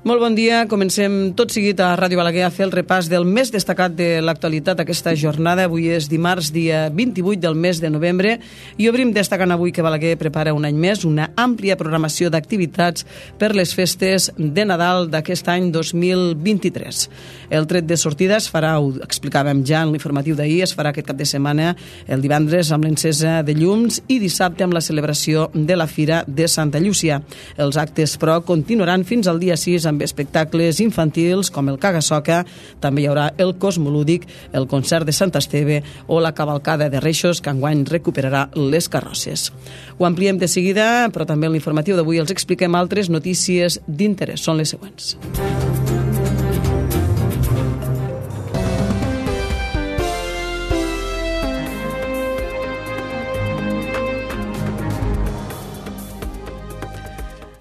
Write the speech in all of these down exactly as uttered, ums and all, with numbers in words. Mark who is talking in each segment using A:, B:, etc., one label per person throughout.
A: Molt bon dia. Comencem tot seguit a Ràdio Balaguer a fer el repàs del més destacat de l'actualitat aquesta jornada. Avui és dimarts, dia vint-i-vuit del mes de novembre, i obrim destacant avui que Balaguer prepara un any més una àmplia programació d'activitats per les festes de Nadal d'aquest any dos mil vint-i-tres. El tret de sortida es farà, ho explicàvem ja en l'informatiu d'ahir, es farà aquest cap de setmana el divendres amb l'encesa de llums i dissabte amb la celebració de la Fira de Santa Llúcia. Els actes, però, continuaran fins al dia sis amb espectacles infantils com el Caga-Soca. També hi haurà el Cosmolúdic, el concert de Sant Esteve o la cavalcada de Reixos, que enguany recuperarà les carrosses. Ho ampliem de seguida, però també en l'informatiu d'avui els expliquem altres notícies d'interès. Són les següents.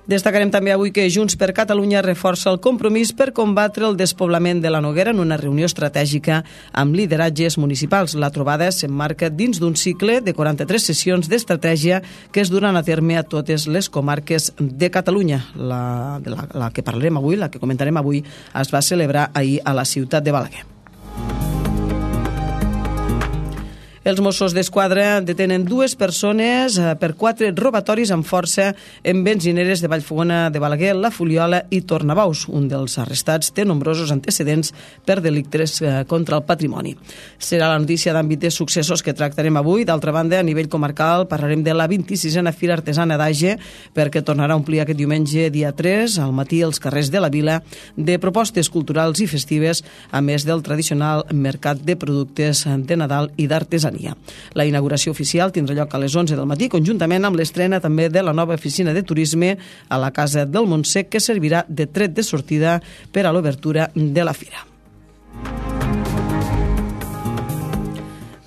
A: Destacarem també avui que Junts per Catalunya reforça el compromís per combatre el despoblament de la Noguera en una reunió estratègica amb lideratges municipals. La trobada s'emmarca dins d'un cicle de quaranta-tres sessions d'estratègia que es duran a terme a totes les comarques de Catalunya. La, de la, la que parlarem avui, la que comentarem avui, es va celebrar ahir a la ciutat de Balaguer. Els Mossos d'Esquadra detenen dues persones per quatre robatoris amb força en benzineres de Vallfogona de Balaguer, La Fuliola i Tornabous. Un dels arrestats té nombrosos antecedents per delictes contra el patrimoni. Serà la notícia d'àmbit de successos que tractarem avui. D'altra banda, a nivell comarcal, parlarem de la vint-i-sisena Fira Artesana d'Age, perquè tornarà a omplir aquest diumenge, dia tres, al matí els carrers de la vila, de propostes culturals i festives, a més del tradicional mercat de productes de Nadal i d'artesania. La inauguració oficial tindrà lloc a les onze del matí, conjuntament amb l'estrena també de la nova oficina de turisme a la Casa del Montsec, que servirà de tret de sortida per a l'obertura de la fira.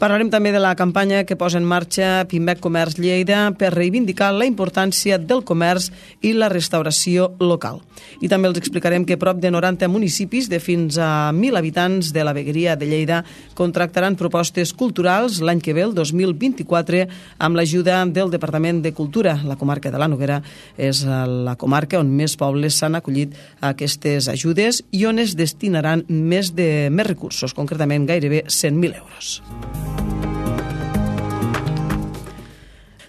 A: Parlarem també de la campanya que posa en marxa Pimec Comerç Lleida per reivindicar la importància del comerç i la restauració local. I també els explicarem que prop de noranta municipis de fins a mil habitants de la vegueria de Lleida contractaran propostes culturals l'any que ve, el dos mil vint-i-quatre, amb l'ajuda del Departament de Cultura. La comarca de la Noguera és la comarca on més pobles s'han acollit a aquestes ajudes i on es destinaran més de més recursos, concretament gairebé cent mil euros.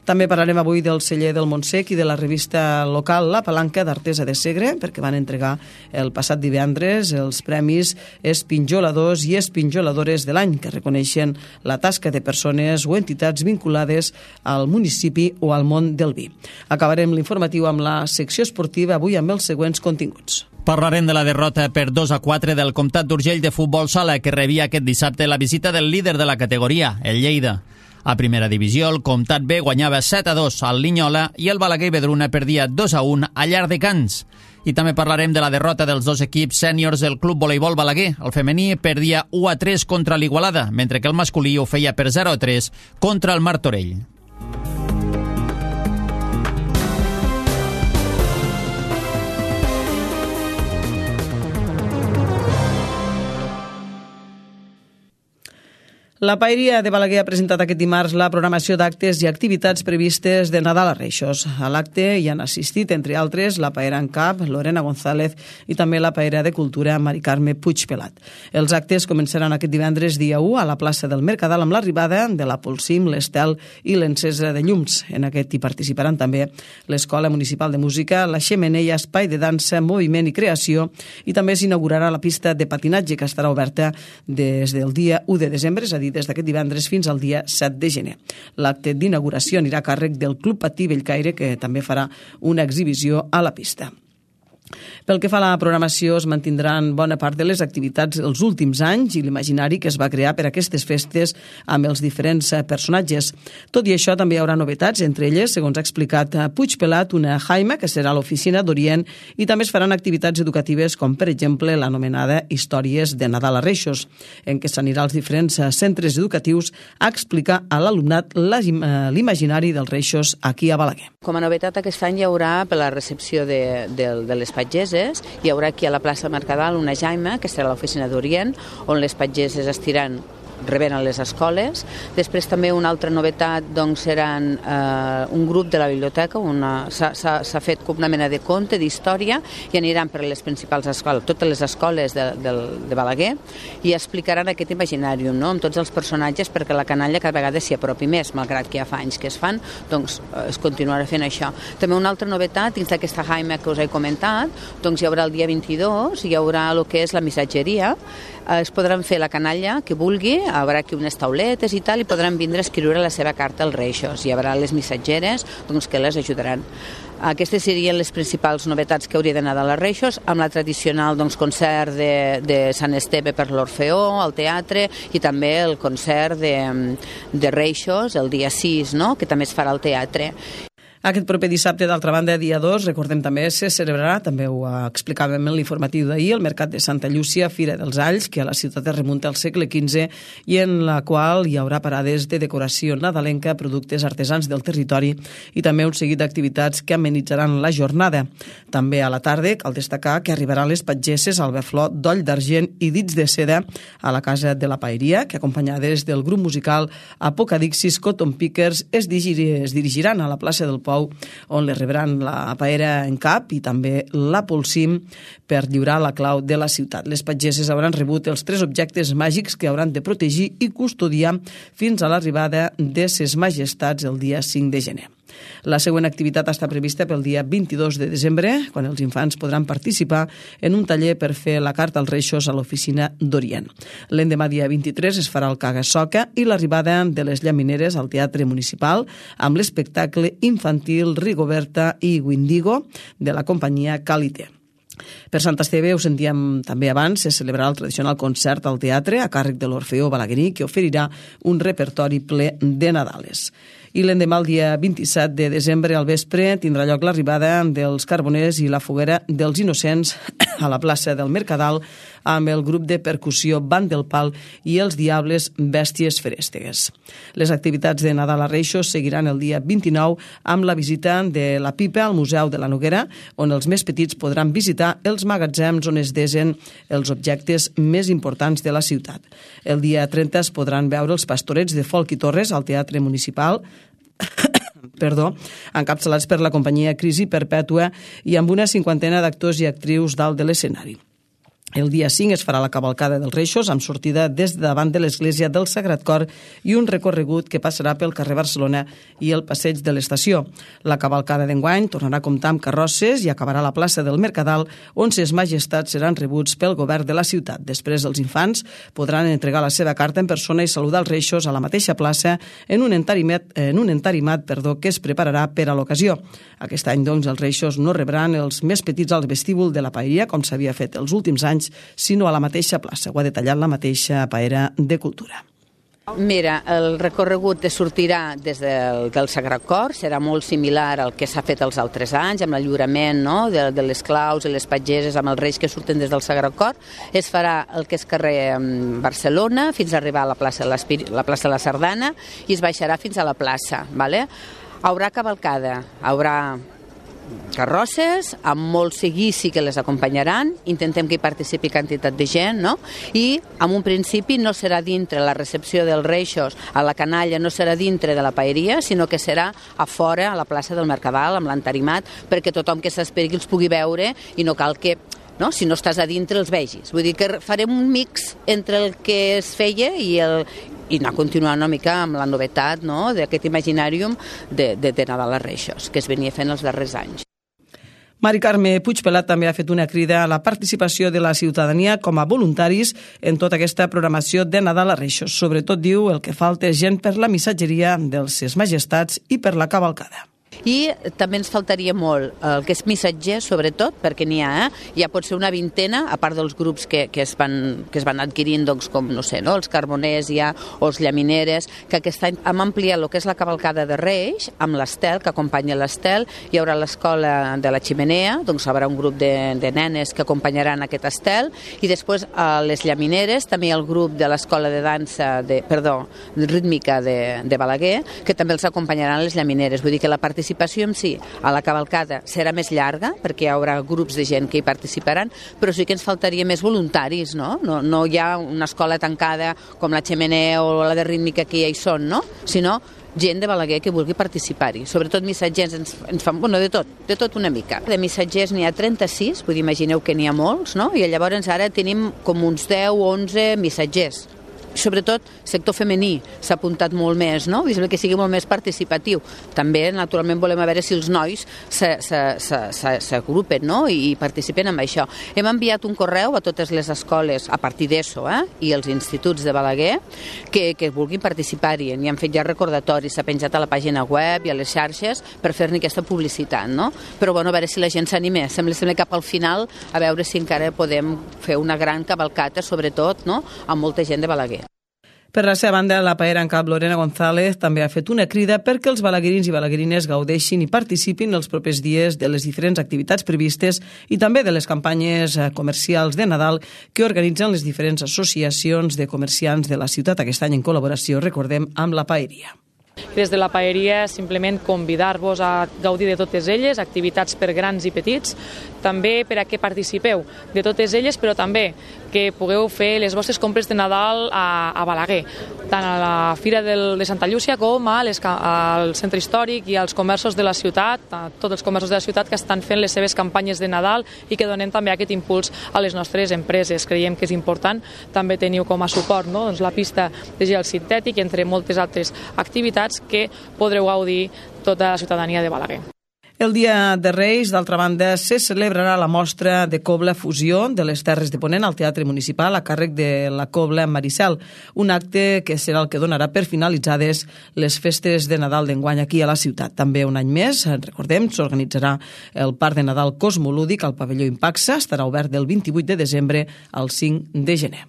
A: També parlarem avui del celler del Montsec i de la revista local La Palanca d'Artesa de Segre, perquè van entregar el passat divendres els premis Espinjoladors i Espinjoladores de l'any, que reconeixen la tasca de persones o entitats vinculades al municipi o al món del vi. Acabarem l'informatiu amb la secció esportiva, avui amb els següents continguts.
B: Parlarem de la derrota per dos a quatre del Comtat d'Urgell de futbol sala, que rebia aquest dissabte la visita del líder de la categoria, el Lleida. A primera divisió, el Comtat B guanyava set a dos al Linyola i el Balaguer i Vedruna perdia dos a un a Llardecans. I també parlarem de la derrota dels dos equips sèniors del Club Voleibol Balaguer. El femení perdia u a tres contra l'Igualada, mentre que el masculí ho feia per zero a tres contra el Martorell.
A: La Paeria de Balaguer ha presentat aquest dimarts la programació d'actes i activitats previstes de Nadal a Reixos. A l'acte hi han assistit, entre altres, la paera en cap, Lorena González, i també la paera de cultura, Mari Carme Puigpelat. Els actes començaran aquest divendres dia u a la plaça del Mercadal amb l'arribada de la Polsim, l'Estel i l'encesa de llums. En aquest hi participaran també l'Escola Municipal de Música, la Xemeneia, Espai de Dansa, Moviment i Creació, i també s'inaugurarà la pista de patinatge, que estarà oberta des del dia u de desembre, és a dir, des d'aquest divendres fins al dia set de gener. L'acte d'inauguració anirà a càrrec del Club Patí Bellcaire, que també farà una exhibició a la pista. Pel que fa a la programació, es mantindran bona part de les activitats els últims anys i l'imaginari que es va crear per aquestes festes amb els diferents personatges. Tot i això, també hi haurà novetats, entre elles, segons ha explicat Puigpelat, una Jaima, que serà l'oficina d'Orient, i també es faran activitats educatives com, per exemple, l'anomenada Històries de Nadal a Reixos, en què s'anirà als diferents centres educatius a explicar a l'alumnat l'imaginari dels Reixos aquí a Balaguer.
C: Com a novetat, aquest any hi haurà, per la recepció de, de, de les pageses, hi haurà aquí a la plaça Mercadal una Jaima, que serà l'oficina d'Orient, on les pageses estiran rebent a les escoles. Després també una altra novetat doncs, seran eh, un grup de la biblioteca, una, s'ha, s'ha, s'ha fet com una mena de conte, d'història, i aniran per les principals escoles, totes les escoles de, de, de Balaguer, i explicaran aquest imaginàrium, no?, amb tots els personatges, perquè la canalla cada vegada s'hi apropi més, malgrat que ja fa anys que es fan, doncs es continuarà fent això. També una altra novetat, dins d'aquesta jaima que us he comentat, doncs hi haurà el dia vint-i-dos, hi haurà el que és la missatgeria, es podran fer la canalla que vulgui, hi haurà aquí unes tauletes i tal, i podran vindre a escriure la seva carta als Reixos. Hi haurà les missatgeres doncs, que les ajudaran. Aquestes serien les principals novetats que hauria d'anar als Reixos, amb la tradicional doncs, concert de, de Sant Esteve per l'Orfeó, al teatre, i també el concert de, de Reixos el dia sis, no?, que també es farà al teatre.
A: Aquest proper dissabte, d'altra banda, dia dos, recordem també, se celebrarà, també ho explicàvem en l'informatiu d'ahir, el Mercat de Santa Llúcia, Fira dels Alls, que a la ciutat es remunta al segle quinze i en la qual hi haurà parades de decoració nadalenca, productes artesans del territori i també un seguit d'activitats que amenitzaran la jornada. També a la tarda cal destacar que arribaran les patgesses al Beflot d'Oll d'Argent i Dits de Seda a la Casa de la Paeria, que acompanyades del grup musical Apocadixis Cotton Pickers es dirigiran a la plaça del Poble, on les rebran la paera en cap i també la polsim per lliurar la clau de la ciutat. Les patgesses hauran rebut els tres objectes màgics que hauran de protegir i custodiar fins a l'arribada de ses majestats el dia cinc de gener. La següent activitat està prevista pel dia vint-i-dos de desembre, quan els infants podran participar en un taller per fer la carta als Reixos a l'oficina d'Orient. L'endemà dia vint-i-tres es farà el caga-soca i l'arribada de les llamineres al Teatre Municipal amb l'espectacle infantil Rigoberta i Windigo de la companyia Calité. Per Sant Esteve, ho sentíem també abans, se celebrarà el tradicional concert al teatre a càrrec de l'Orfeó balaguerí, que oferirà un repertori ple de Nadales. I l'endemà, el dia vint-i-set de desembre, al vespre, tindrà lloc l'arribada dels Carboners i la foguera dels Innocents a la plaça del Mercadal amb el grup de percussió Band del Pal i els Diables Bèsties Ferèstegues. Les activitats de Nadal a Reixos seguiran el dia vint-i-nou amb la visita de la pipa al Museu de la Noguera, on els més petits podran visitar els magatzems on es desen els objectes més importants de la ciutat. El dia trenta es podran veure els pastorets de Folk i Torres al Teatre Municipal, perdó, encapçalats per la companyia Crisi Perpètua i amb una cinquantena d'actors i actrius dalt de l'escenari. El dia cinc es farà la cavalcada dels Reixos amb sortida des de davant de l'església del Sagrat Cor i un recorregut que passarà pel carrer Barcelona i el passeig de l'estació. La cavalcada d'enguany tornarà a comptar amb carrosses i acabarà a la plaça del Mercadal, on ses majestats seran rebuts pel govern de la ciutat. Després, els infants podran entregar la seva carta en persona i saludar els Reixos a la mateixa plaça en un entarimat, en un entarimat perdó, que es prepararà per a l'ocasió. Aquest any, doncs, els Reixos no rebran els més petits al vestíbul de la Paeria, com s'havia fet els últims anys, sinó a la mateixa plaça. Ho ha detallat la mateixa paera de Cultura.
C: Mira, el recorregut sortirà des del, del Sagrat Cor, serà molt similar al que s'ha fet els altres anys, amb l'enllurament, no?, de, de les claus i les patgeses amb els reis que surten des del Sagrat Cor. Es farà el que és carrer Barcelona fins a arribar a la plaça de, la plaça de la Sardana i es baixarà fins a la plaça. ¿Vale? Haurà cavalcada, haurà carrosses, amb molt seguici que les acompanyaran, intentem que hi participi quantitat de gent, no? I en un principi no serà dintre la recepció dels Reixos a la canalla, no serà dintre de la paeria, sinó que serà a fora, a la plaça del Mercadal, amb l'entarimat, perquè tothom que s'esperi els pugui veure i no cal que, no, si no estàs a dintre, els vegis. Vull dir que farem un mix entre el que es feia i el i anar continuant una mica amb la novetat, no?, d'aquest imaginàrium de, de, de Nadal a Reixos, que es venia fent els darrers anys.
A: Mari Carme Puigpelat també ha fet una crida a la participació de la ciutadania com a voluntaris en tota aquesta programació de Nadal a Reixos. Sobretot, diu, el que falta és gent per la missatgeria dels Ses Majestats i per la cavalcada.
C: I també ens faltaria molt el que és missatger, sobretot, perquè n'hi ha, eh? Ja pot ser una vintena, a part dels grups que, que, es, van, que es van adquirint, doncs, com, no sé, no? Els Carboners ja, o els Llamineres, que aquest any hem ampliat el que és la cavalcada de Reis, amb l'Estel, que acompanya l'Estel, hi haurà l'escola de la Ximenea, doncs hi haurà un grup de, de nenes que acompanyaran aquest Estel, i després a les Llamineres, també hi ha el grup de l'escola de dansa, de, perdó, rítmica de, de Balaguer, que també els acompanyaran les Llamineres, vull dir que la participació participació en si a la cavalcada serà més llarga, perquè hi haurà grups de gent que hi participaran, però sí que ens faltaria més voluntaris, no? No, no hi ha una escola tancada com la Xemener o la de rítmica que ja hi són, no? Sinó gent de Balaguer que vulgui participar-hi. Sobretot missatgers ens, ens fan, bueno, de tot, de tot una mica. De missatgers n'hi ha trenta-sis, vull dir, imagineu que n'hi ha molts, no? I llavors ara tenim com uns deu o onze missatgers. Sobretot sector femení s'ha apuntat molt més, no? Vull dir que sigui molt més participatiu. També, naturalment, volem veure si els nois s'agrupen, no? I participen en això. Hem enviat un correu a totes les escoles a partir d'ESO, eh? I els instituts de Balaguer que, que vulguin participar-hi. N'hi han fet ja recordatoris, s'ha penjat a la pàgina web i a les xarxes per fer-ne aquesta publicitat, no? Però, bueno, a veure si la gent s'anima. Sembla, sembla cap al final a veure si encara podem fer una gran cavalcata, sobretot, no? Amb molta gent de Balaguer.
A: Per la seva banda, la paera en cap Lorena González també ha fet una crida perquè els balaguerins i balaguerines gaudeixin i participin els propers dies de les diferents activitats previstes i també de les campanyes comercials de Nadal que organitzen les diferents associacions de comerciants de la ciutat, aquest any en col·laboració, recordem, amb la paeria.
D: Des de la paeria simplement convidar-vos a gaudir de totes elles, activitats per grans i petits, també per a que participeu de totes elles, però també que pugueu fer les vostres compres de Nadal a, a Balaguer, tant a la Fira del, de Santa Llúcia com a les, al centre històric i als comerços de la ciutat, a tots els comerços de la ciutat que estan fent les seves campanyes de Nadal i que donen també aquest impuls a les nostres empreses. Creiem que és important també teniu com a suport, no? Doncs la pista de gel sintètic, entre moltes altres activitats que podreu gaudir tota la ciutadania de Balaguer.
A: El Dia de Reis, d'altra banda, se celebrarà la mostra de Cobla Fusió de les Terres de Ponent al Teatre Municipal a càrrec de la Cobla Maricel, un acte que serà el que donarà per finalitzades les festes de Nadal d'enguany aquí a la ciutat. També un any més, recordem, s'organitzarà el Parc de Nadal Cosmolúdic al pavelló Impaxa, estarà obert del vint-i-vuit de desembre al cinc de gener.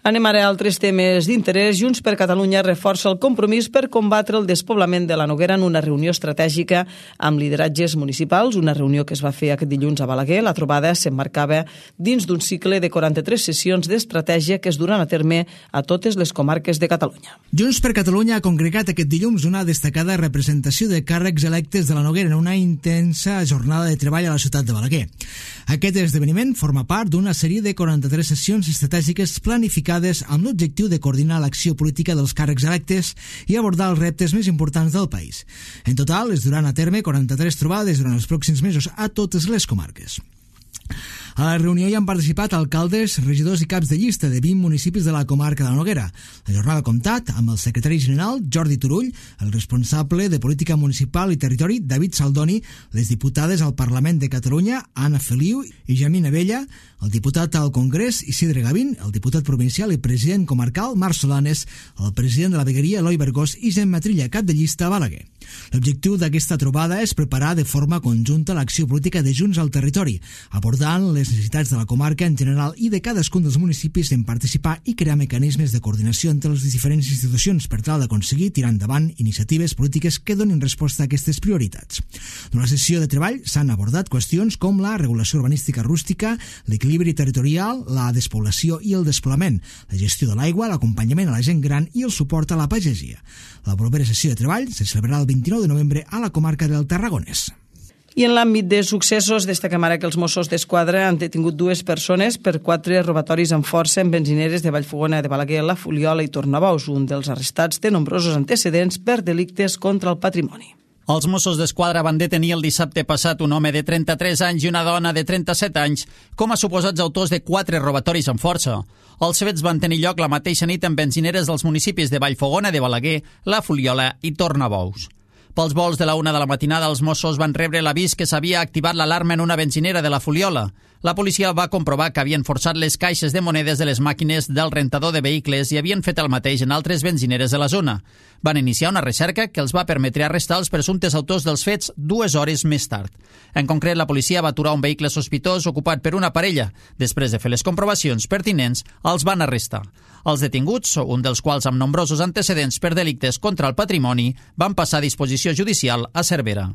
A: Anem ara a altres temes d'interès. Junts per Catalunya reforça el compromís per combatre el despoblament de la Noguera en una reunió estratègica amb lideratges municipals, una reunió que es va fer aquest dilluns a Balaguer. La trobada s'emmarcava dins d'un cicle de quaranta-tres sessions d'estratègia que es duran a terme a totes les comarques de Catalunya.
E: Junts per Catalunya ha congregat aquest dilluns una destacada representació de càrrecs electes de la Noguera en una intensa jornada de treball a la ciutat de Balaguer. Aquest esdeveniment forma part d'una sèrie de quaranta-tres sessions estratègiques planificades amb l'objectiu de coordinar l'acció política dels càrrecs electes i abordar els reptes més importants del país. En total, es duran a terme quaranta-tres trobades durant els pròxims mesos a totes les comarques. A la reunió hi han participat alcaldes, regidors i caps de llista de vint municipis de la comarca de la Noguera. La jornada ha comptat amb el secretari general Jordi Turull, el responsable de Política Municipal i Territori David Saldoni, les diputades al Parlament de Catalunya Anna Feliu i Jamina Abella, el diputat al Congrés Isidre Gavín, el diputat provincial i president comarcal Marc Solanes, el president de la vegueria Eloi Bergós i Gemma Trilla, cap de llista a Balaguer. L'objectiu d'aquesta trobada és preparar de forma conjunta l'acció política de Junts al territori, abordant les necessitats de la comarca en general i de cadascun dels municipis en participar i crear mecanismes de coordinació entre les diferents institucions per tal d'aconseguir tirar endavant iniciatives polítiques que donin resposta a aquestes prioritats. Durant la sessió de treball s'han abordat qüestions com la regulació urbanística rústica, l'equilibri territorial, la despoblació i el despoblament, la gestió de l'aigua, l'acompanyament a la gent gran i el suport a la pagesia. La propera sessió de treball se celebrarà el vint-i-nou de novembre a la comarca del Tarragonès.
A: I en l'àmbit de successos, destaquem ara que els Mossos d'Esquadra han detingut dues persones per quatre robatoris amb força en benzineres de Vallfogona de Balaguer, La Fuliola i Tornabous. Un dels arrestats té nombrosos antecedents per delictes contra el patrimoni.
B: Els Mossos d'Esquadra van detenir el dissabte passat un home de trenta-tres anys i una dona de trenta-set anys com a suposats autors de quatre robatoris amb força. Els fets van tenir lloc la mateixa nit en benzineres dels municipis de Vallfogona de Balaguer, La Fuliola i Tornabous. Pels vols de la una de la matinada, els Mossos van rebre l'avís que s'havia activat l'alarma en una benzinera de La Fuliola. La policia va comprovar que havien forçat les caixes de monedes de les màquines del rentador de vehicles i havien fet el mateix en altres benzineres de la zona. Van iniciar una recerca que els va permetre arrestar els presumptes autors dels fets dues hores més tard. En concret, la policia va aturar un vehicle sospitós ocupat per una parella. Després de fer les comprovacions pertinents, els van arrestar. Els detinguts, un dels quals amb nombrosos antecedents per delictes contra el patrimoni, van passar a disposició judicial a Cervera.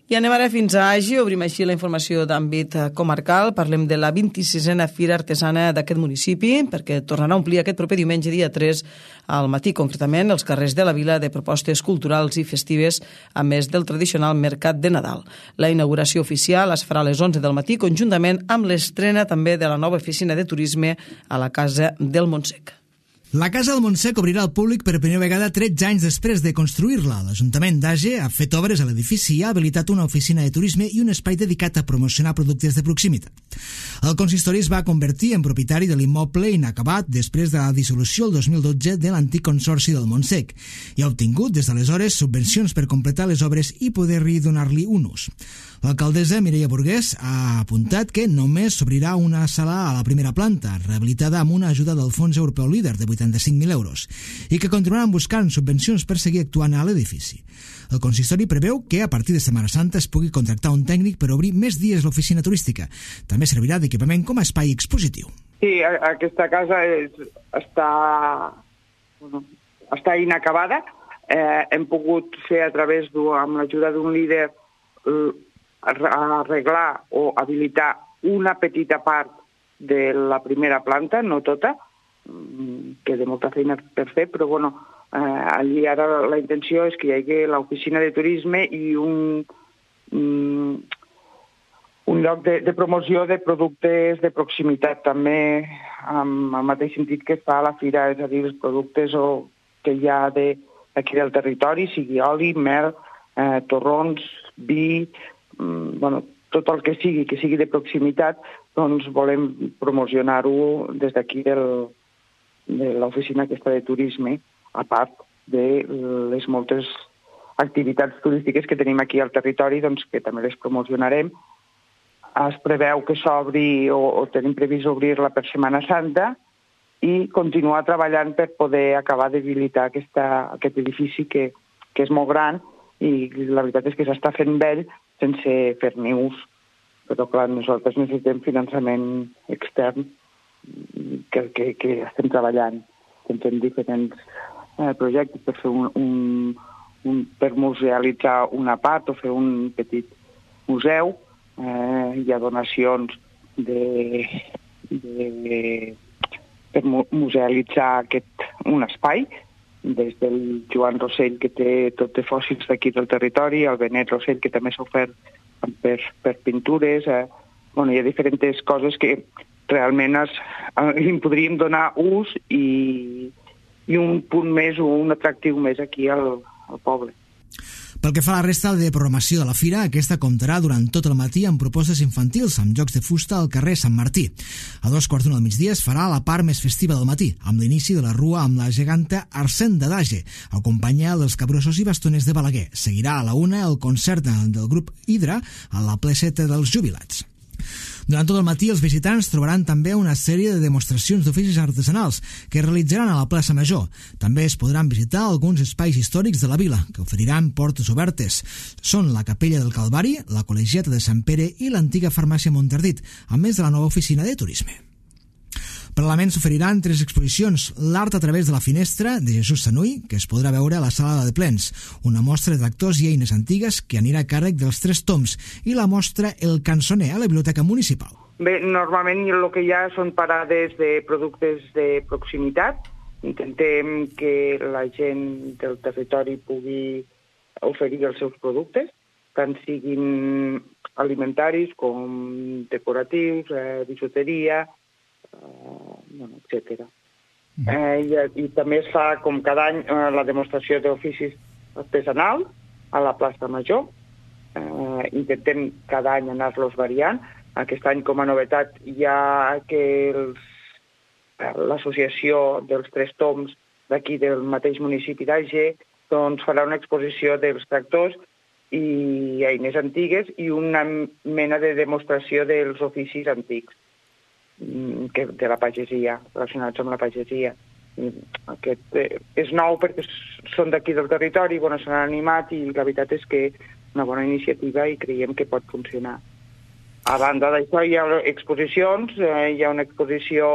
A: I anem ara fins a Agi, obrim així la informació d'àmbit comarcal. Parlem de la vint-i-sisena Fira Artesana d'aquest municipi, perquè tornarà a omplir aquest proper diumenge, dia tres, al matí, concretament, els carrers de la vila de propostes culturals i festives, a més del tradicional mercat de Nadal. La inauguració oficial es farà a les onze del matí, conjuntament amb l'estrena també de la nova oficina de turisme a la Casa del Montsec.
E: La Casa del Montsec obrirà al públic per primera vegada tretze anys després de construir-la. L'Ajuntament d'Age ha fet obres a l'edifici i ha habilitat una oficina de turisme i un espai dedicat a promocionar productes de proximitat. El consistori es va convertir en propietari de l'immoble inacabat després de la dissolució el dos mil dotze de l'antic consorci del Montsec i ha obtingut des d'aleshores subvencions per completar les obres i poder-hi donar-li un ús. L'alcaldessa Mireia Burgués ha apuntat que només s'obrirà una sala a la primera planta, rehabilitada amb una ajuda del Fons Europeu Líder de vuitanta-cinc mil euros, i que continuaran buscant subvencions per seguir actuant a l'edifici. El consistori preveu que a partir de Setmana Santa es pugui contractar un tècnic per obrir més dies l'oficina turística. També servirà d'equipament com a espai expositiu.
F: Sí, aquesta casa és, està, bueno, està inacabada. Eh, hem pogut fer a través, amb l'ajuda d'un líder, arreglar o habilitar una petita part de la primera planta, no tota, que té molta feina per fer, però bueno, eh, allí ara la intenció és que hi hagi l'oficina de turisme i un, un, un lloc de, de promoció de productes de proximitat també, amb el mateix sentit que fa la fira, és a dir, els productes o, que hi ha de, aquí del territori, sigui oli, mel, eh, torrons, vi, bueno, tot el que sigui, que sigui de proximitat, doncs volem promocionar-ho des d'aquí del, de l'oficina aquesta de turisme, a part de les moltes activitats turístiques que tenim aquí al territori, doncs que també les promocionarem. Es preveu que s'obri o, o tenim previst obrir-la per Setmana Santa i continuar treballant per poder acabar d'habilitar aquesta, aquest edifici que, que és molt gran i la veritat és que s'està fent vell sense fer-ne ús. Però, clar, nosaltres necessitem finançament extern que, que, que estem treballant. Tenim diferents eh, projectes per fer un, un, un, per musealitzar una part o fer un petit museu. Eh, hi ha donacions de, de, per musealitzar aquest, un espai, des del Joan Rossell, que té tot de fòssils d'aquí del territori, el Benet Rossell, que també s'ha ofert per, per pintures. Eh. Bueno, hi ha diferents coses que realment es, li podríem donar ús i, i un punt més o un atractiu més aquí al, al poble.
E: Pel que fa a la resta de programació de la fira, aquesta comptarà durant tot el matí amb propostes infantils, amb jocs de fusta al carrer Sant Martí. A dos quarts d'una del migdia es farà la part més festiva del matí, amb l'inici de la rua amb la geganta Arsène d'Age, acompanyada dels capgrossos i bastoners de Balaguer. Seguirà a la una el concert del grup Hidra a la placeta dels jubilats. Durant tot el matí, els visitants trobaran també una sèrie de demostracions d'oficis artesanals que realitzaran a la plaça Major. També es podran visitar alguns espais històrics de la vila, que oferiran portes obertes. Són la Capella del Calvari, la Col·legiata de Sant Pere i l'antiga farmàcia Montardit, a més de la nova oficina de turisme. Paral·lelament s'oferiran tres exposicions: l'art a través de la finestra, de Jesús Sanuy, que es podrà veure a la sala de plens, una mostra de tractors i eines antigues que anirà a càrrec dels Tres Toms, i la mostra El Cançoner a la Biblioteca Municipal.
F: Bé, normalment el que hi ha són parades de productes de proximitat. Intentem que la gent del territori pugui oferir els seus productes, tant siguin alimentaris com decoratius, eh, bisuteria, Uh, bueno, etcètera. Mm. Eh, i, I també es fa, com cada any, eh, la demostració d'oficis artesanals a la plaça Major. Eh, intentem cada any anar-los variant. Aquest any, com a novetat, hi ha que els, l'associació dels Tres Toms d'aquí del mateix municipi d'Age doncs farà una exposició dels tractors i eines antigues i una mena de demostració dels oficis antics que de la pagesia, relacionats amb la pagesia. Aquest eh, és nou perquè són d'aquí del territori, bueno, s'han animat i la veritat és que és una bona iniciativa i creiem que pot funcionar. A banda d'això hi ha exposicions, eh, hi ha una exposició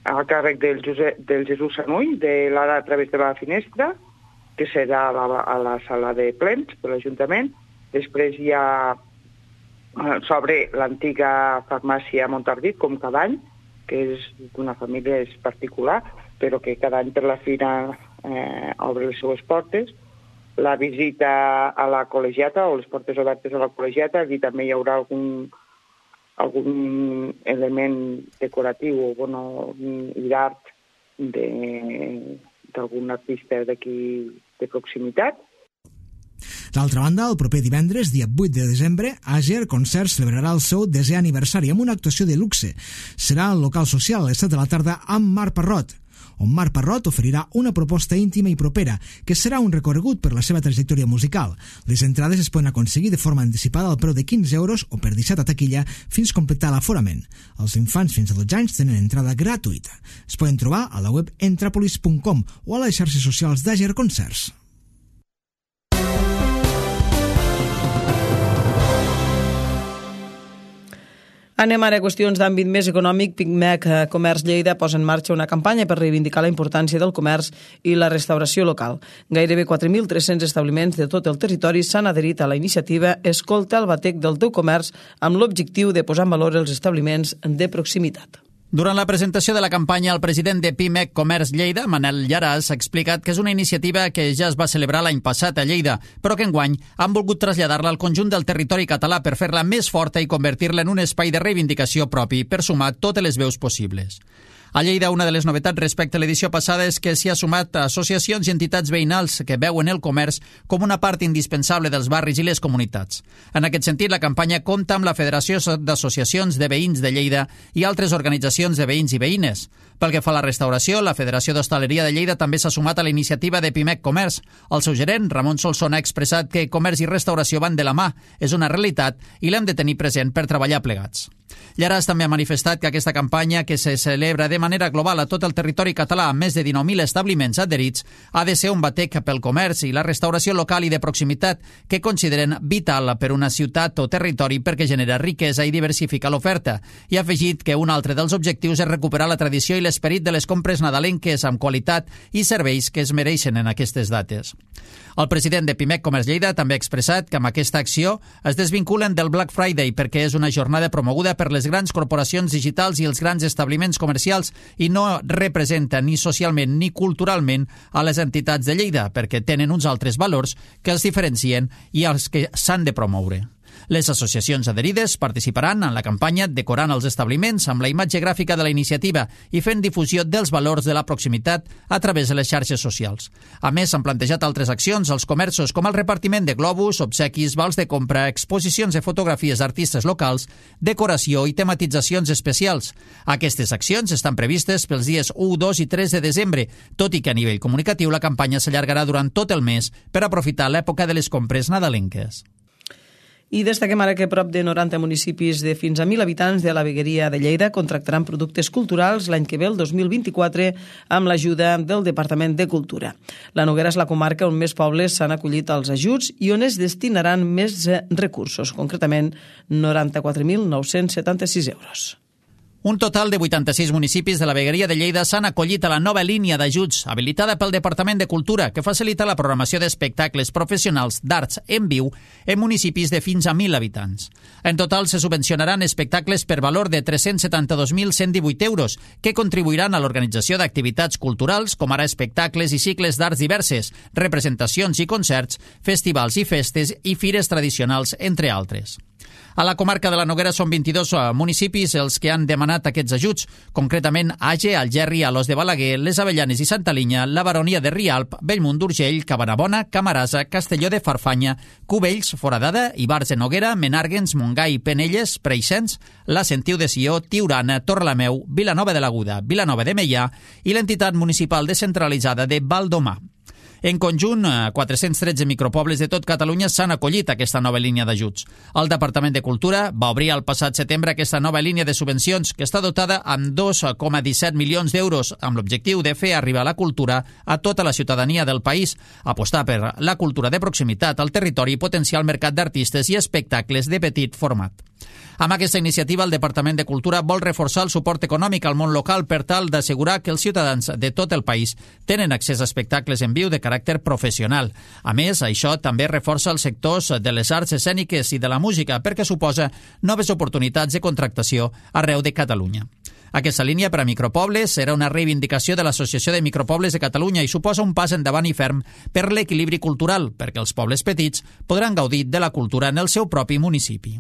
F: a càrrec del, Josep, del Jesús Sanuy, de l'Ara a través de la finestra, que serà a la, a la sala de plens de l'Ajuntament, Després hi ha sobre l'antiga farmàcia Montardit, com cada any, que és d'una família és particular, però que cada any per la fira eh, obre les seues portes. La visita a la col·legiata, o les portes obertes a la col·legiata, aquí també hi haurà algun, algun element decoratiu o bueno, i d'art d'algun artista d'aquí de proximitat.
E: D'altra banda, el proper divendres, dia vuit de desembre, Àger Concerts celebrarà el seu desè aniversari amb una actuació de luxe. Serà al local social a les set de la tarda amb Marc Parrot, on Marc Parrot oferirà una proposta íntima i propera, que serà un recorregut per la seva trajectòria musical. Les entrades es poden aconseguir de forma anticipada al preu de quinze euros o per deixat a taquilla fins completar l'aforament. Els infants fins a dotze anys tenen entrada gratuïta. Es poden trobar a la web entrapolis punt com o a les xarxes socials d'Àger Concerts.
A: Anem ara a qüestions d'àmbit més econòmic. Pimec Comerç Lleida posa en marxa una campanya per reivindicar la importància del comerç i la restauració local. Gairebé quatre mil tres-cents establiments de tot el territori s'han adherit a la iniciativa Escolta el batec del teu comerç amb l'objectiu de posar en valor els establiments de proximitat.
B: Durant la presentació de la campanya, el president de Pimec Comerç Lleida, Manel Llaràs, ha explicat que és una iniciativa que ja es va celebrar l'any passat a Lleida, però que enguany han volgut traslladar-la al conjunt del territori català per fer-la més forta i convertir-la en un espai de reivindicació propi per sumar totes les veus possibles. A Lleida, una de les novetats respecte a l'edició passada és que s'hi ha sumat associacions i entitats veïnals que veuen el comerç com una part indispensable dels barris i les comunitats. En aquest sentit, la campanya compta amb la Federació d'Associacions de Veïns de Lleida i altres organitzacions de veïns i veïnes. Pel que fa a la restauració, la Federació d'Hostaleria de Lleida també s'ha sumat a la iniciativa de Pimec Comerç. El seu gerent, Ramon Solsona, ha expressat que comerç i restauració van de la mà, és una realitat i l'hem de tenir present per treballar plegats. Llaràs també ha manifestat que aquesta campanya, que se celebra de manera global a tot el territori català amb més de dinou mil establiments adherits, ha de ser un batec pel comerç i la restauració local i de proximitat que consideren vital per una ciutat o territori perquè genera riquesa i diversifica l'oferta. I ha afegit que un altre dels objectius és recuperar la tradició i l'esperit de les compres nadalenques amb qualitat i serveis que es mereixen en aquestes dates. El president de Pimec Comerç Lleida també ha expressat que amb aquesta acció es desvinculen del Black Friday perquè és una jornada promoguda per les grans corporacions digitals i els grans establiments comercials i no representa ni socialment ni culturalment a les entitats de Lleida perquè tenen uns altres valors que els diferencien i els que s'han de promoure. Les associacions adherides participaran en la campanya decorant els establiments amb la imatge gràfica de la iniciativa i fent difusió dels valors de la proximitat a través de les xarxes socials. A més, s'han plantejat altres accions als comerços com el repartiment de globus, obsequis, vals de compra, exposicions de fotografies d'artistes locals, decoració i tematitzacions especials. Aquestes accions estan previstes pels dies u, dos i tres de desembre, tot i que a nivell comunicatiu la campanya s'allargarà durant tot el mes per aprofitar l'època de les compres nadalenques.
A: I destaquem ara que prop de noranta municipis de fins a mil habitants de la vegueria de Lleida contractaran productes culturals l'any que ve, el dos mil vint-i-quatre, amb l'ajuda del Departament de Cultura. La Noguera és la comarca on més pobles s'han acollit als ajuts i on es destinaran més recursos, concretament noranta-quatre mil nou-cents setanta-sis euros.
B: Un total de vuitanta-sis municipis de la vegueria de Lleida s'han acollit a la nova línia d'ajuts habilitada pel Departament de Cultura que facilita la programació d'espectacles professionals d'arts en viu en municipis de fins a mil habitants. En total se subvencionaran espectacles per valor de tres-cents setanta-dos mil cent divuit euros que contribuiran a l'organització d'activitats culturals com ara espectacles i cicles d'arts diverses, representacions i concerts, festivals i festes i fires tradicionals, entre altres. A la comarca de la Noguera són vint-i-dos municipis els que han demanat aquests ajuts, concretament Àger, Algerri, Alòs de Balaguer, Les Avellanes i Santa Linya, la Baronia de Rialp, Bellmunt d'Urgell, Cabanabona, Camarasa, Castelló de Farfanya, Cubells, Foradada, Ibars de Noguera, Menàrguens, Montgai, Penelles, Preixens, la Sentiu de Sió, Tiurana, Torrelameu, Vilanova de l'Aguda, Vilanova de Meià i l'entitat municipal descentralitzada de Valdomar. En conjunt, quatre-cents tretze micropobles de tot Catalunya s'han acollit a aquesta nova línia d'ajuts. El Departament de Cultura va obrir el passat setembre aquesta nova línia de subvencions que està dotada amb dos coma disset milions d'euros amb l'objectiu de fer arribar la cultura a tota la ciutadania del país, apostar per la cultura de proximitat al territori i potenciar el mercat d'artistes i espectacles de petit format. Amb aquesta iniciativa, el Departament de Cultura vol reforçar el suport econòmic al món local per tal d'assegurar que els ciutadans de tot el país tenen accés a espectacles en viu de caràcter caràcter professional. A més, això també reforça els sectors de les arts escèniques i de la música perquè suposa noves oportunitats de contractació arreu de Catalunya. Aquesta línia per a micropobles era una reivindicació de l'Associació de Micropobles de Catalunya i suposa un pas endavant i ferm per l'equilibri cultural, perquè els pobles petits podran gaudir de la cultura en el seu propi municipi.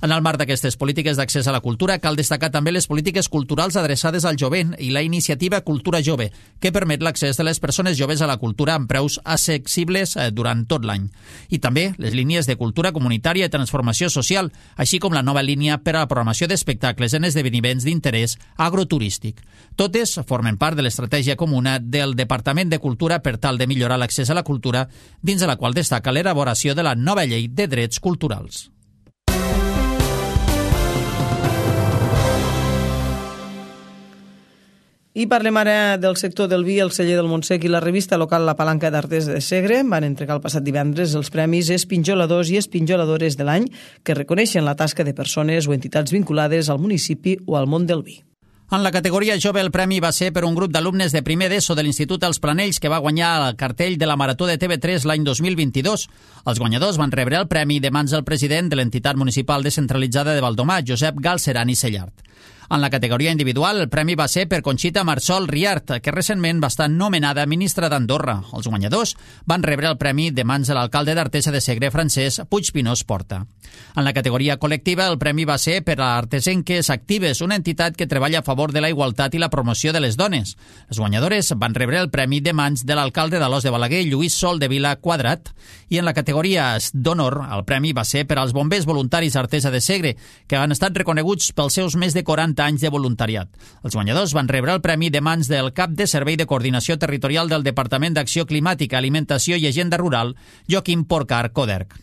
B: En el marc d'aquestes polítiques d'accés a la cultura, cal destacar també les polítiques culturals adreçades al jovent i la iniciativa Cultura Jove, que permet l'accés de les persones joves a la cultura amb preus accessibles durant tot l'any. I també les línies de cultura comunitària i transformació social, així com la nova línia per a la programació d'espectacles en esdeveniments d'interès agroturístic. Totes formen part de l'estratègia comuna del Departament de Cultura per tal de millorar l'accés a la cultura, dins de la qual destaca l'elaboració de la nova llei de drets culturals.
A: I parlem ara del sector del vi, el celler del Montsec i la revista local La Palanca d'Artesa de Segre van entregar el passat divendres els premis Espinjoladors i Espinjoladores de l'any que reconeixen la tasca de persones o entitats vinculades al municipi o al món del vi.
B: En la categoria jove el premi va ser per un grup d'alumnes de primer d'ESO de l'Institut Els Planells que va guanyar el cartell de la Marató de T V tres l'any dos mil vint-i-dos. Els guanyadors van rebre el premi de mans del president de l'entitat municipal descentralitzada de Valdomar, Josep Galceran i Cellart. En la categoria individual, el premi va ser per Conxita Marsol Riart, que recentment va estar nomenada ministra d'Andorra. Els guanyadors van rebre el premi de mans de l'alcalde d'Artesa de Segre, Francesc Puigpinós Porta. En la categoria col·lectiva, el premi va ser per a Artesenques Actives, una entitat que treballa a favor de la igualtat i la promoció de les dones. Les guanyadores van rebre el premi de mans de l'alcalde d'Alòs de Balaguer, Lluís Sol de Vila Quadrat, i en la categoria d'honor, el premi va ser per als bombers voluntaris Artesa de Segre, que han estat reconeguts pels seus més de quaranta anys de voluntariat. Els guanyadors van rebre el premi de mans del cap de Servei de Coordinació Territorial del Departament d'Acció Climàtica, Alimentació i Agenda Rural, Joaquim Porcar Coderc.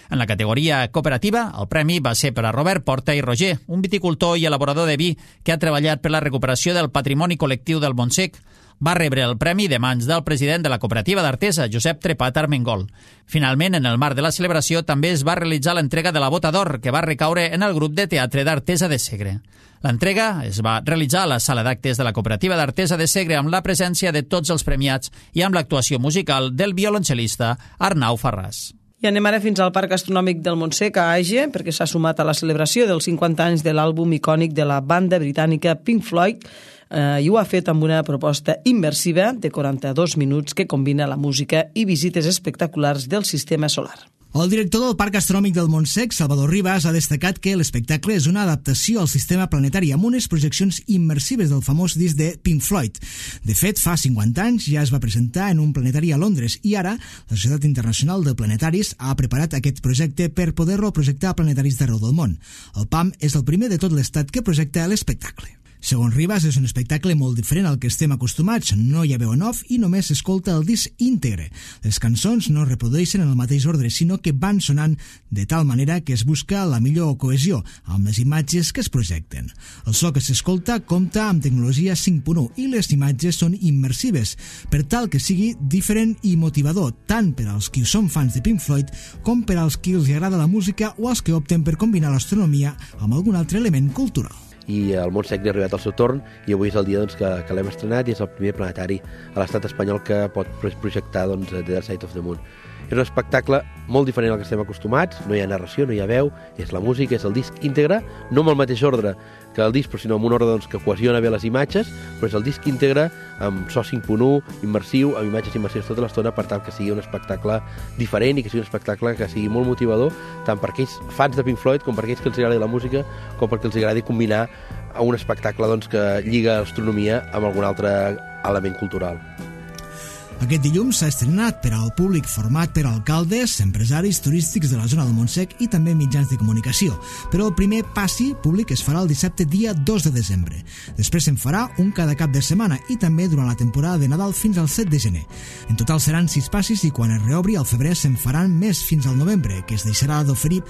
B: En la categoria cooperativa, el premi va ser per a Robert Porta i Roger, un viticultor i elaborador de vi que ha treballat per la recuperació del patrimoni col·lectiu del Montsec. Va rebre el premi de mans del president de la cooperativa d'Artesa, Josep Trepat Armengol. Finalment, en el marc de la celebració, també es va realitzar l'entrega de la Bota d'Or, que va recaure en el grup de teatre d'Artesa de Segre. L'entrega es va realitzar a la sala d'actes de la cooperativa d'Artesa de Segre amb la presència de tots els premiats i amb l'actuació musical del violoncel·lista Arnau Farràs.
A: I anem ara fins al Parc Astronòmic del Montsec, a Age, perquè s'ha sumat a la celebració dels cinquanta anys de l'àlbum icònic de la banda britànica Pink Floyd, eh, i ho ha fet amb una proposta immersiva de quaranta-dos minuts que combina la música i visites espectaculars del sistema solar.
E: El director del Parc Astronòmic del Montsec, Salvador Ribas, ha destacat que l'espectacle és una adaptació al sistema planetari amb unes projeccions immersives del famós disc de Pink Floyd. De fet, fa cinquanta anys ja es va presentar en un planetari a Londres i ara la Societat Internacional de Planetaris ha preparat aquest projecte per poder-lo projectar a planetaris d'arreu del món. El P A M és el primer de tot l'estat que projecta l'espectacle. Segons Ribas, és un espectacle molt diferent al que estem acostumats. No hi ha veu en off i només s'escolta el disc íntegre. Les cançons no es reprodueixen en el mateix ordre, sinó que van sonant de tal manera que es busca la millor cohesió amb les imatges que es projecten. El so que s'escolta compta amb tecnologia cinc punt u i les imatges són immersives, per tal que sigui diferent i motivador, tant per als qui són fans de Pink Floyd com per als qui els agrada la música o als que opten per combinar l'astronomia amb algun altre element cultural.
G: I el Montsec ha arribat al seu torn i avui és el dia doncs, que, que l'hem estrenat i és el primer planetari a l'estat espanyol que pot projectar doncs, The Dark Side of the Moon. És un espectacle molt diferent al que estem acostumats, no hi ha narració, no hi ha veu, és la música, és el disc íntegre, no amb el mateix ordre que el disc, però sinó amb un ordre doncs, que cohesiona bé les imatges, però és el disc íntegre amb so cinc punt u, immersiu, amb imatges immersives tota l'estona, per tal que sigui un espectacle diferent i que sigui un espectacle que sigui molt motivador, tant per aquells fans de Pink Floyd com per aquells que els agradi la música, com perquè els agradi combinar a un espectacle doncs, que lliga l'astronomia amb algun altre element cultural.
E: Aquest dilluns s'ha estrenat per al públic format per alcaldes, empresaris turístics de la zona del Montsec i també mitjans de comunicació. Però el primer passi públic es farà el dissabte dia dos de desembre. Després se'n farà un cada cap de setmana i també durant la temporada de Nadal fins al set de gener. En total seran sis passis i quan es reobri al febrer se'n faran més fins al novembre, que es deixarà d'oferir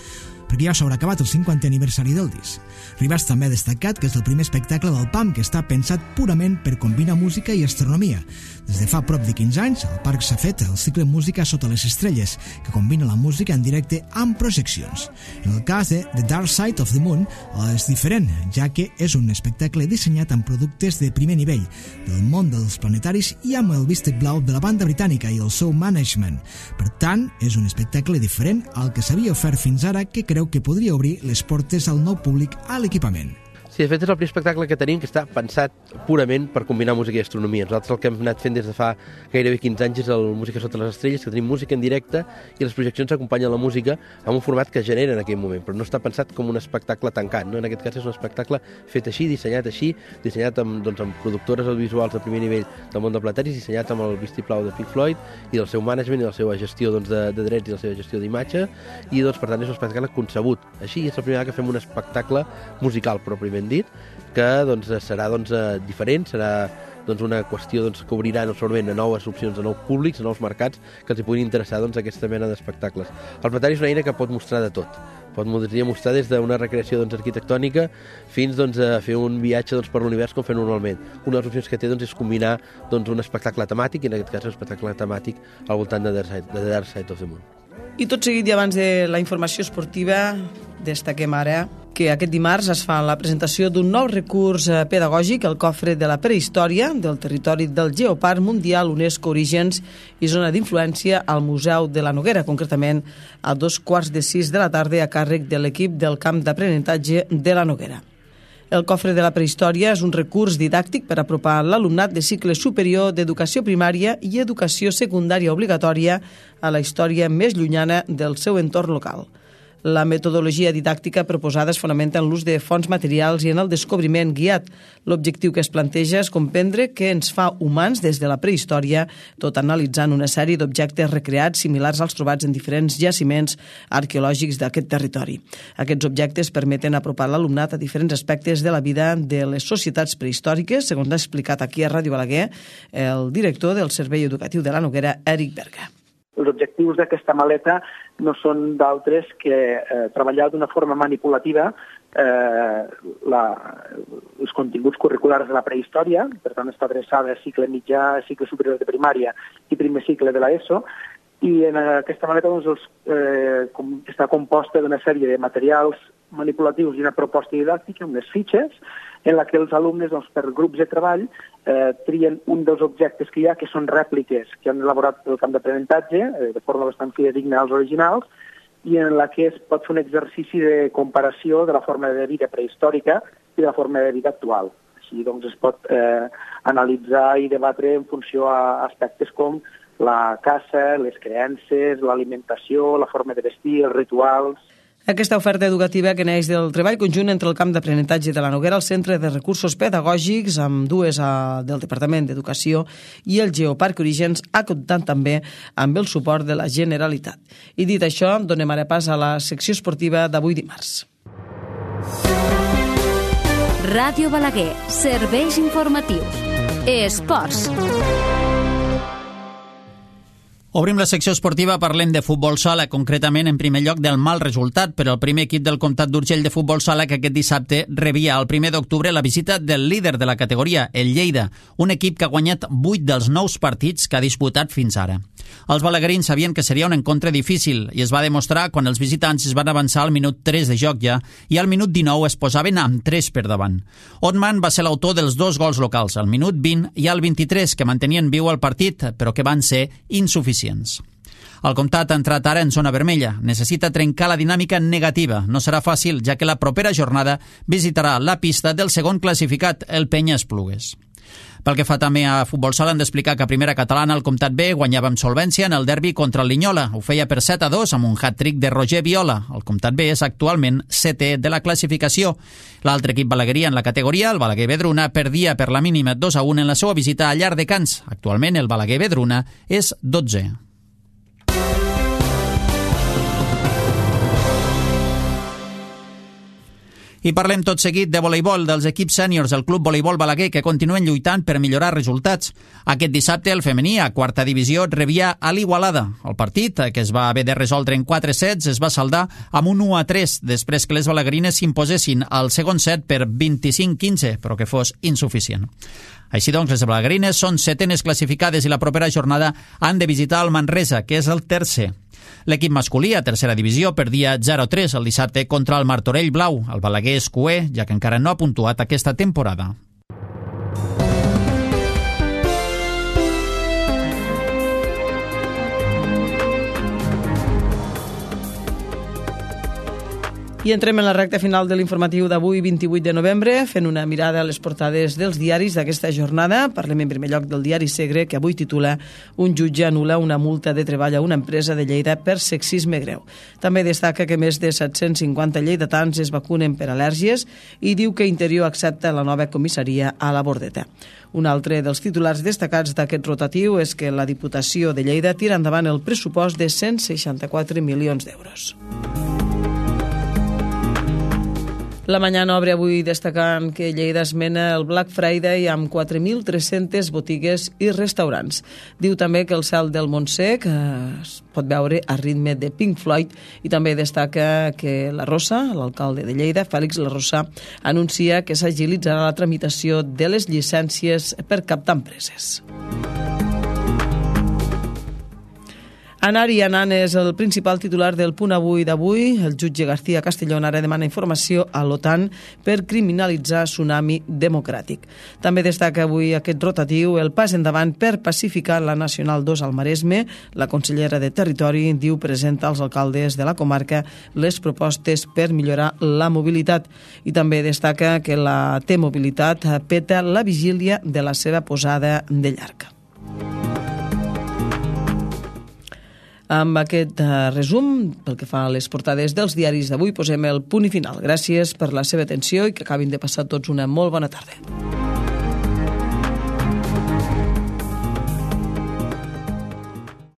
E: perquè ja s'haurà acabat el cinquantè aniversari del disc. Rivas també ha destacat que és el primer espectacle del P A M que està pensat purament per combinar música i astronomia. Des de fa prop de quinze anys, al parc s'ha fet el cicle Música sota les estrelles, que combina la música en directe amb projeccions. En el cas de The Dark Side of the Moon és diferent, ja que és un espectacle dissenyat amb productes de primer nivell, del món dels planetaris i amb el vistec blau de la banda britànica i el seu management. Per tant, és un espectacle diferent al que s'havia ofert fins ara, que creu que podria obrir les portes al nou públic a l'equipament.
G: Sí, de fet és el primer espectacle que tenim que està pensat purament per combinar música i astronomia. Nosaltres el que hem anat fent des de fa gairebé quinze anys és el Música sota les estrelles, que tenim música en directe i les projeccions acompanyen la música amb un format que genera en aquell moment, però no està pensat com un espectacle tancat, no? En aquest cas és un espectacle fet així, dissenyat així, dissenyat amb, doncs, amb productores audiovisuals de primer nivell del món de planetaris, dissenyat amb el vistiplau de Pink Floyd i del seu management i la seva gestió doncs, de, de drets i la seva gestió d'imatge, i doncs, per tant és un espectacle concebut així, és la primera vegada que fem un espectacle musical pròpiament dit, que doncs, serà doncs, diferent, serà doncs, una qüestió doncs, que obrirà no solament a noves opcions, a nous públics, a nous mercats que els hi puguin interessar doncs, aquesta mena d'espectacles. El planetari és una eina que pot mostrar de tot. Pot mostrar des d'una recreació doncs, arquitectònica fins doncs, a fer un viatge doncs, per l'univers com fer normalment. Una de les opcions que té doncs, és combinar doncs, un espectacle temàtic, i en aquest cas un espectacle temàtic al voltant de The Dark Side of the Moon.
A: I tot seguit, i abans de la informació esportiva, destaquem ara que aquest dimarts es fa la presentació d'un nou recurs pedagògic, el cofre de la prehistòria del territori del Geoparc Mundial UNESCO Orígens i Zona d'Influència al Museu de la Noguera, concretament a dos quarts de sis de la tarda a càrrec de l'equip del camp d'aprenentatge de la Noguera. El cofre de la prehistòria és un recurs didàctic per apropar l'alumnat de cicle superior d'educació primària i educació secundària obligatòria a la història més llunyana del seu entorn local. La metodologia didàctica proposada es fonamenta en l'ús de fonts materials i en el descobriment guiat. L'objectiu que es planteja és comprendre què ens fa humans des de la prehistòria, tot analitzant una sèrie d'objectes recreats similars als trobats en diferents jaciments arqueològics d'aquest territori. Aquests objectes permeten apropar l'alumnat a diferents aspectes de la vida de les societats prehistòriques, segons ha explicat aquí a Ràdio Balaguer el director del Servei Educatiu de la Noguera, Eric Berga.
H: Els objectius d'aquesta maleta no són d'altres que eh, treballar d'una forma manipulativa eh, la, els continguts curriculars de la prehistòria, per tant està adreçada a cicle mitjà, cicle superior de primària i primer cicle de l'ESO, i en aquesta maleta doncs, els, eh, com, està composta d'una sèrie de materials manipulatius i una proposta didàctica, unes fitxes, en la que els alumnes, doncs, per grups de treball, eh, trien un dels objectes que hi ha, que són rèpliques que han elaborat el camp d'aprenentatge, eh, de forma bastant fidedigna als originals, i en la que es pot fer un exercici de comparació de la forma de vida prehistòrica i de la forma de vida actual. Així doncs, es pot eh, analitzar i debatre en funció a aspectes com la caça, les creences, l'alimentació, la forma de vestir, els rituals.
A: Aquesta oferta educativa que neix del treball conjunt entre el camp d'aprenentatge de la Noguera, el Centre de Recursos Pedagògics, amb dues a, del Departament d'Educació, i el Geoparc Orígens, ha comptat també amb el suport de la Generalitat. I dit això, donem ara pas a la secció esportiva d'avui dimarts.
I: Ràdio Balaguer, serveis informatius. Esports.
B: Obrim la secció esportiva, parlem de futbol sala, concretament en primer lloc del mal resultat per al primer equip del Comtat d'Urgell de futbol sala, que aquest dissabte rebia el primer d'octubre la visita del líder de la categoria, el Lleida, un equip que ha guanyat vuit dels nous partits que ha disputat fins ara. Els balaguerins sabien que seria un encontre difícil i es va demostrar quan els visitants es van avançar al minut tres de joc ja i al minut dinou es posaven amb tres per davant. Otman va ser l'autor dels dos gols locals, al minut vint i al vint-i-tres, que mantenien viu el partit, però que van ser insuficients. El Comtat ha entrat ara en zona vermella. Necessita trencar la dinàmica negativa. No serà fàcil, ja que la propera jornada visitarà la pista del segon classificat, el Penya Esplugues. Pel que fa també a futbol sala, han d'explicar que a primera catalana el Comtat B guanyava amb solvència en el derbi contra el Linyola. Ho feia per set a dos amb un hat-trick de Roger Viola. El Comtat B és actualment setè de la classificació. L'altre equip balagueria en la categoria, el Balaguer Vedruna, perdia per la mínima dos a un en la seva visita a Llar de Cans. Actualment el Balaguer Vedruna és dotzè. I parlem tot seguit de voleibol, dels equips sèniors del Club Voleibol Balaguer, que continuen lluitant per millorar resultats. Aquest dissabte el femení, a quarta divisió, rebia a l'Igualada. El partit, que es va haver de resoldre en quatre sets, es va saldar amb un u a tres, després que les balaguerines s'imposessin al segon set per vint-i-cinc quinze, però que fos insuficient. Així doncs, les balaguerines són setenes classificades i la propera jornada han de visitar el Manresa, que és el tercer. L'equip masculí, a tercera divisió, perdia zero a tres el dissabte contra el Martorell Blau. El Balaguer és cuer, ja que encara no ha puntuat aquesta temporada.
A: I entrem en la recta final de l'informatiu d'avui, vint-i-vuit de novembre, fent una mirada a les portades dels diaris d'aquesta jornada. Parlem en primer lloc del diari Segre, que avui titula "Un jutge anul·la una multa de treball a una empresa de Lleida per sexisme greu". També destaca que més de set-cents cinquanta lleidatans es vacunen per al·lèrgies i diu que Interior accepta la nova comissaria a la Bordeta. Un altre dels titulars destacats d'aquest rotatiu és que la Diputació de Lleida tira endavant el pressupost de cent seixanta-quatre milions d'euros. La Mañana obre avui destacant que Lleida esmena el Black Friday amb quatre mil tres-centes botigues i restaurants. Diu també que el cel del Montsec es pot veure a ritme de Pink Floyd i també destaca que la Rosa, l'alcalde de Lleida, Fèlix La Rosa, anuncia que s'agilitzarà la tramitació de les llicències per captar empreses. Anar i anant és el principal titular del Punt Avui d'avui. El jutge García Castellón ara demana informació a l'OTAN per criminalitzar Tsunami Democràtic. També destaca avui aquest rotatiu el pas endavant per pacificar la Nacional dos al Maresme. La consellera de Territori diu presenta als alcaldes de la comarca les propostes per millorar la mobilitat. I també destaca que la T-Mobilitat peta la vigília de la seva posada de llarg. Amb aquest resum, pel que fa a les portades dels diaris d'avui, posem el punt i final. Gràcies per la seva atenció i que acabin de passar tots una molt bona tarda.